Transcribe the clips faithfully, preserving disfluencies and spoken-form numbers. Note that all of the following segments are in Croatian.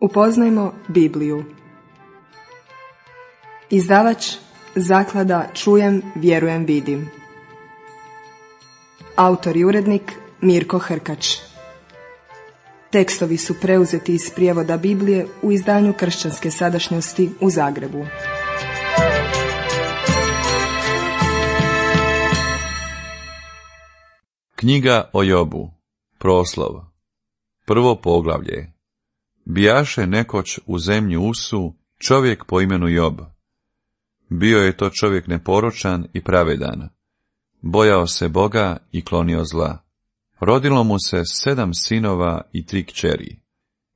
Upoznajmo Bibliju. Izdavač Zaklada Čujem, vjerujem, vidim. Autor i urednik Mirko Hrkač. Tekstovi su preuzeti iz prijevoda Biblije u izdanju Kršćanske sadašnjosti u Zagrebu. Knjiga o Jobu, proslov, prvo poglavlje. Bijaše nekoć u zemlji Usu čovjek po imenu Job. Bio je to čovjek neporočan i pravedan. Bojao se Boga i klonio zla. Rodilo mu se sedam sinova i tri kćeri.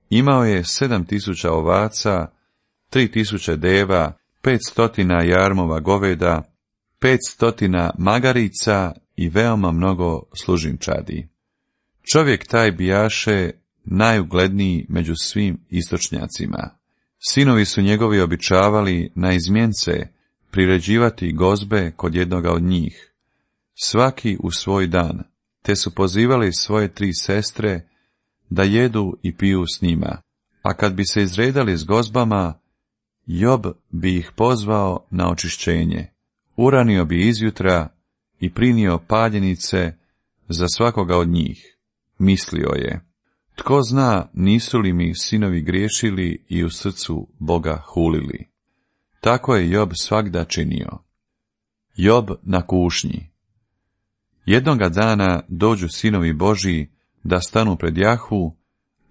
Imao je sedam tisuća ovaca, tri tisuće deva, pet stotina jarmova goveda, pet stotina magarica i veoma mnogo služinčadi. Čovjek taj bijaše najugledniji među svim istočnjacima. Sinovi su njegovi običavali na izmjence priređivati gozbe kod jednoga od njih, svaki u svoj dan, te su pozivali svoje tri sestre da jedu i piju s njima, a kad bi se izredali s gozbama, Job bi ih pozvao na očišćenje, uranio bi izjutra i prinio paljenice za svakoga od njih. Mislio je, tko zna nisu li mi sinovi griješili i u srcu Boga hulili. Tako je Job svagda činio. Job na kušnji. Jednoga dana dođu sinovi Božji da stanu pred Jahvu,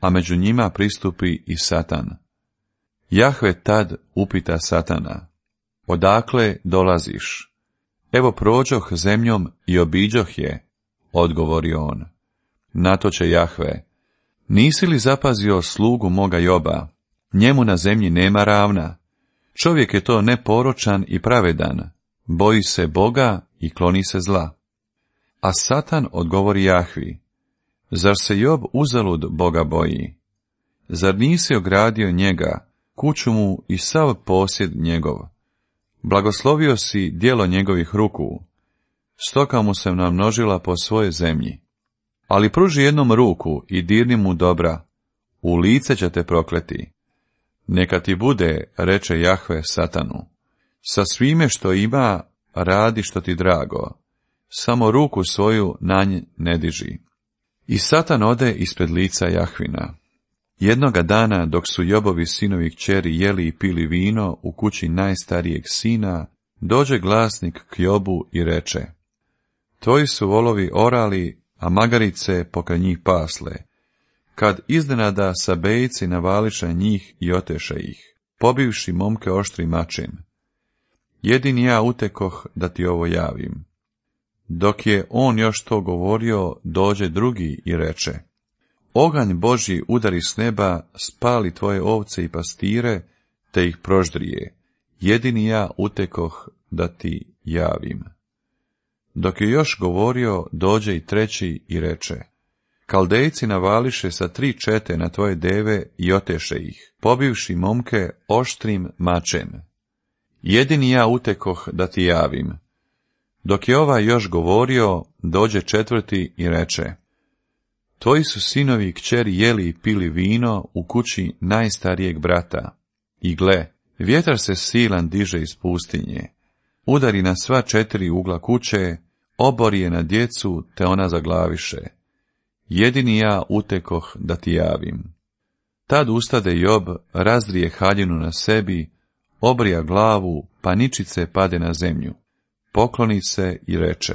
a među njima pristupi i Satan. Jahve tad upita Satana, odakle dolaziš? Evo prođoh zemljom i obiđoh je, odgovorio on. Na to će Jahve, nisi li zapazio slugu moga Joba? Njemu na zemlji nema ravna. Čovjek je to neporočan i pravedan, boji se Boga i kloni se zla. A Satan odgovori Jahvi, zar se Job uzalud Boga boji? Zar nisi ogradio njega, kuću mu i sav posjed njegov? Blagoslovio si djelo njegovih ruku, stoka mu se namnožila po svojoj zemlji. Ali pruži jednom ruku i dirni mu dobra, u lice će te prokleti. Neka ti bude, reče Jahve Satanu, sa svime što ima radi što ti drago, samo ruku svoju na nj ne diži. I Satan ode ispred lica Jahvina. Jednoga dana, dok su Jobovi sinovi kćeri jeli i pili vino u kući najstarijeg sina, dođe glasnik k Jobu i reče, tvoji su volovi orali, a magarice pokraj njih pasle, kad iznenada sabejci navališe njih i oteše ih, pobivši momke oštrim mačem. Jedini ja utekoh da ti ovo javim. Dok je on još to govorio, dođe drugi i reče, oganj Božji udari s neba, spali tvoje ovce i pastire, te ih proždrije. Jedini ja utekoh da ti javim. Dok je još govorio, dođe i treći i reče, Kaldejci navališe sa tri čete na tvoje deve i oteše ih, pobivši momke oštrim mačem. Jedini ja utekoh da ti javim. Dok je ovaj još govorio, dođe četvrti i reče, tvoji su sinovi i kćeri jeli i pili vino u kući najstarijeg brata. I gle, vjetar se silan diže iz pustinje, udari na sva četiri ugla kuće, obori je na djecu, te ona zaglaviše. Jedini ja utekoh da ti javim. Tad ustade Job, razdrije haljinu na sebi, obrija glavu, pa ničice pade na zemlju. Pokloni se i reče,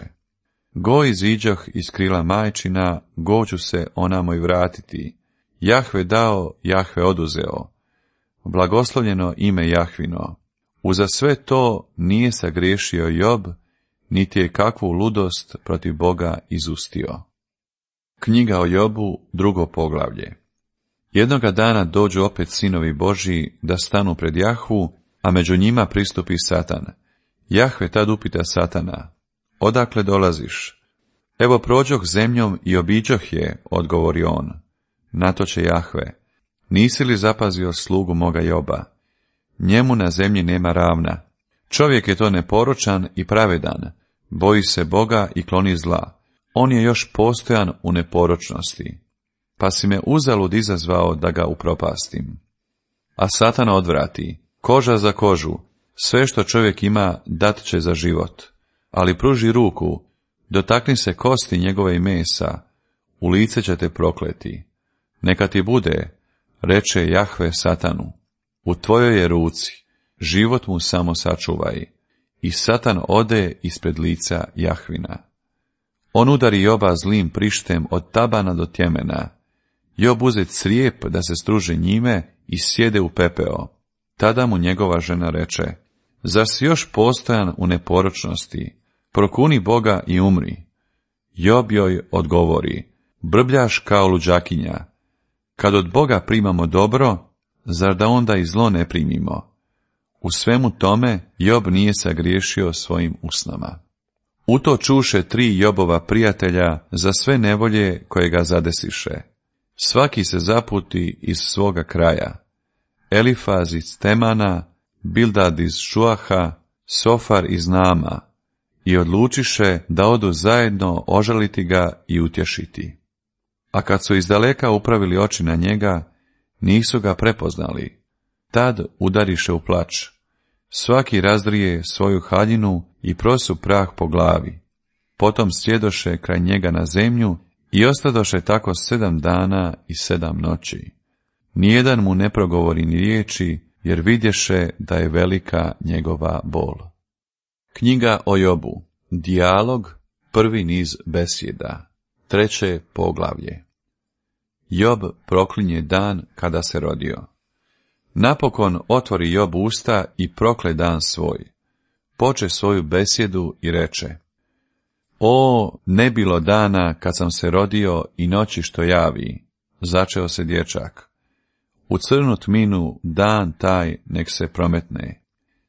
go iziđoh iz krila majčina, go ću se onamo i vratiti. Jahve dao, Jahve oduzeo. Blagoslovljeno ime Jahvino. Uza sve to nije sagriješio Job, niti je kakvu ludost protiv Boga izustio. Knjiga o Jobu, drugo poglavlje. Jednoga dana dođu opet sinovi Božji da stanu pred Jahvu, a među njima pristupi Satan. Jahve tad upita Satana, odakle dolaziš? Evo prođoh zemljom i obiđoh je, odgovori on. Na to će Jahve, nisi li zapazio slugu moga Joba? Njemu na zemlji nema ravna. Čovjek je to neporočan i pravedan, boji se Boga i kloni zla. On je još postojan u neporočnosti. Pa si me uzalud izazvao da ga upropastim. a Satan odvrati, koža za kožu, sve što čovjek ima dat će za život, ali pruži ruku, dotakni se kosti njegove i mesa, u lice će te prokleti. Neka ti bude, reče Jahve Satanu, u tvojoj je ruci, život mu samo sačuvaj. I Satan ode ispred lica Jahvina. On udari Joba zlim prištem od tabana do tjemena. Job uze crijep da se struži njime i sjede u pepeo. Tada mu njegova žena reče, zar si još postojan u neporočnosti? Prokuni Boga i umri. Job joj odgovori, brbljaš kao luđakinja. Kad od Boga primamo dobro, zar da onda i zlo ne primimo? U svemu tome Job nije sagriješio svojim usnama. U to čuše tri Jobova prijatelja za sve nevolje koje ga zadesiše. Svaki se zaputi iz svoga kraja. Elifaz iz Temana, Bildad iz Šuaha, Sofar iz Nama, i odlučiše da odu zajedno ožaliti ga i utješiti. A kad su izdaleka upravili oči na njega, nisu ga prepoznali. Tad udariše u plač. Svaki razdrije svoju haljinu i prosu prah po glavi. Potom sjedoše kraj njega na zemlju i ostadoše tako sedam dana i sedam noći. Nijedan mu ne progovori ni riječi, jer vidješe da je velika njegova bol. Knjiga o Jobu. Dijalog, prvi niz besjeda. Treće poglavlje. Job proklinje dan kada se rodio. Napokon otvori Job usta i prokle dan svoj. Poče svoju besjedu i reče, o, ne bilo dana kad sam se rodio i noći što javi, začeo se dječak. U crnu tminu dan taj nek se prometne.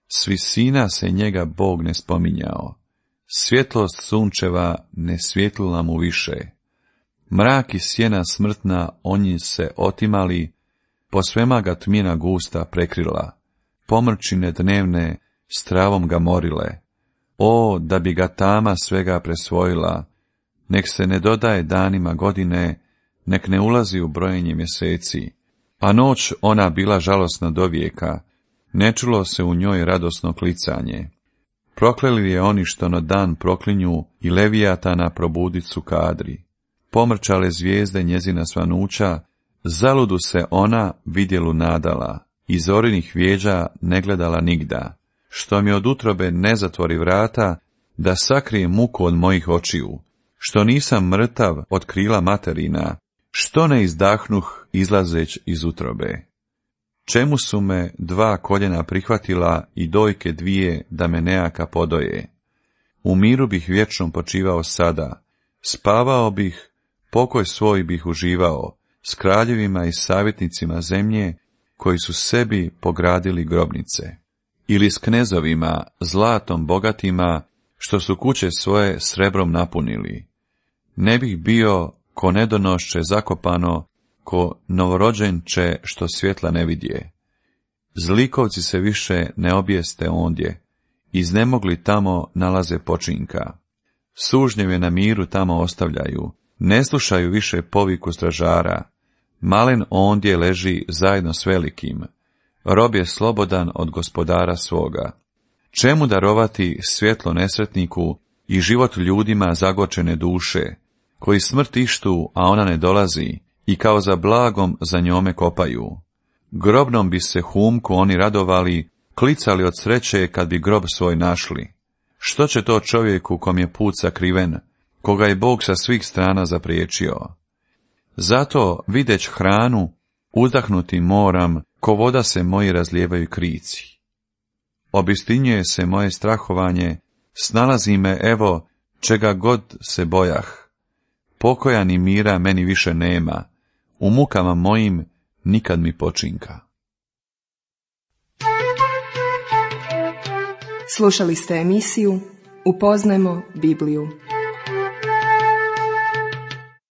S visina se njega Bog ne spominjao. Svjetlost sunčeva ne svjetlila mu više. Mrak i sjena smrtna onji se otimali, po svema ga tmina gusta prekrila. Pomrčine dnevne s travom ga morile. O, da bi ga tama svega presvojila, nek se ne dodaje danima godine, nek ne ulazi u brojenje mjeseci. A noć ona bila žalosna do vijeka, ne čulo se u njoj radosno klicanje. Prokleli je oni što na dan proklinju i Levijatana probudicu kadri. Pomrčale zvijezde njezina svanuća, zaludu se ona vidjelu nadala, i zorinih vjeđa ne gledala nigda, što mi od utrobe ne zatvori vrata, da sakrije muku od mojih očiju, što nisam mrtav od krila materina, što ne izdahnuh izlazeć iz utrobe. Čemu su me dva koljena prihvatila i dojke dvije da me nejaka podoje? U miru bih vječno počivao sada, spavao bih, pokoj svoj bih uživao, s kraljevima i savjetnicima zemlje, koji su sebi pogradili grobnice. Ili s knezovima, zlatom bogatima, što su kuće svoje srebrom napunili. Ne bih bio ko nedonošće zakopano, ko novorođenče što svjetla ne vidje. Zlikovci se više ne objeste ondje, iznemogli tamo nalaze počinka. Sužnjeve na miru tamo ostavljaju, ne slušaju više poviku stražara. Malen ondje leži zajedno s velikim, rob je slobodan od gospodara svoga. Čemu darovati svjetlo nesretniku i život ljudima zagočene duše, koji smrt ištu, a ona ne dolazi, i kao za blagom za njome kopaju. Grobnom bi se humku oni radovali, klicali od sreće kad bi grob svoj našli. Što će to čovjeku kom je put sakriven, koga je Bog sa svih strana zapriječio? Zato, videć hranu, uzdahnuti moram, ko voda se moji razlijevaju krici. Obistinjuje se moje strahovanje, snalazi me, evo, čega god se bojah. Pokoja ni mira meni više nema, u mukama mojim nikad mi počinka. Slušali ste emisiju Upoznajmo Bibliju.